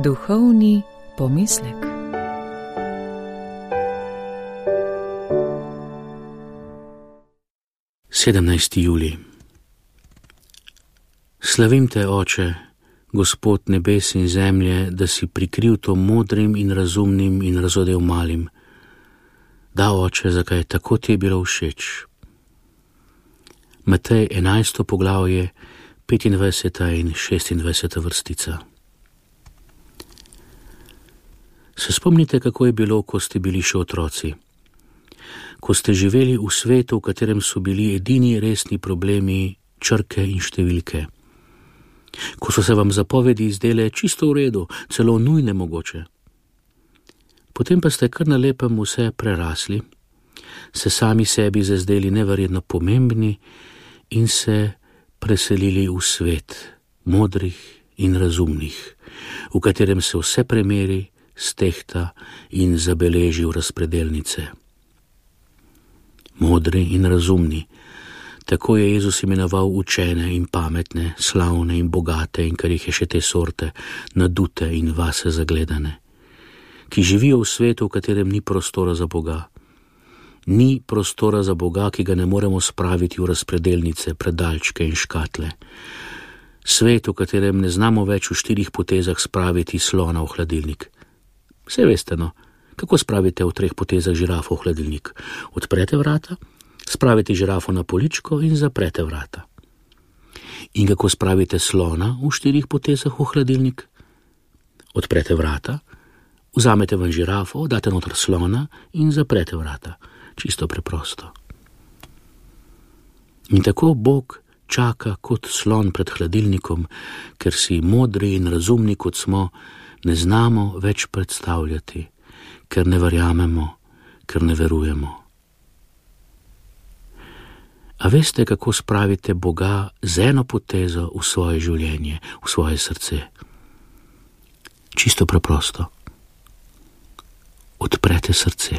Duhovni pomislek. Sedemnajsti julij. Slavim te, Oče, Gospod nebes in zemlje, da si prikril to modrim in razumnim in razodel malim. Da, Oče, zakaj tako ti je bilo všeč. Matej 11. poglavje, 25. in 26. vrstica. Se spomnite, kako je bilo, ko ste bili še otroci? Ko ste živeli v svetu, v katerem so bili edini resni problemi črke in številke. Ko so se vam zapovedi izdele čisto v redu, celo nujne mogoče. Potem pa ste kar na lepem vse prerasli, se sami sebi zazdeli neverjetno pomembni in se preselili v svet modrih in razumnih, v katerem se vse premeri, stehta in zabeleži v razpredelnice. Modri in razumni, tako je Jezus imenoval učene in pametne, slavne in bogate in kar jih je še te sorte, nadute in vase zagledane, ki živijo v svetu, v katerem ni prostora za Boga. Ni prostora za Boga, ki ga ne moremo spraviti v razpredelnice, predalčke in škatle. Svet, v katerem ne znamo več v 4 potezah spraviti slona v hladilnik. Vse veste, no, kako spravite v 3 potezah žirafo v hladilnik? Odprete vrata, spravite žirafo na poličko in zaprete vrata. In kako spravite slona v 4 potezah v hladilnik? Odprete vrata, vzamete ven žirafo, date noter slona in zaprete vrata. Čisto preprosto. In tako Bog čaka kot slon pred hladilnikom, ker si modri in razumni, kot smo, ne znamo več predstavljati, ker ne verjamemo, ker ne verujemo. A veste, kako spravite Boga z eno potezo v svoje življenje, v svoje srce? Čisto preprosto. Odprete srce.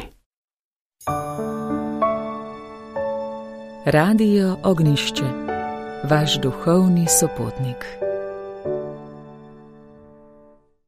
Radio Ognjišče, vaš duhovni sopotnik.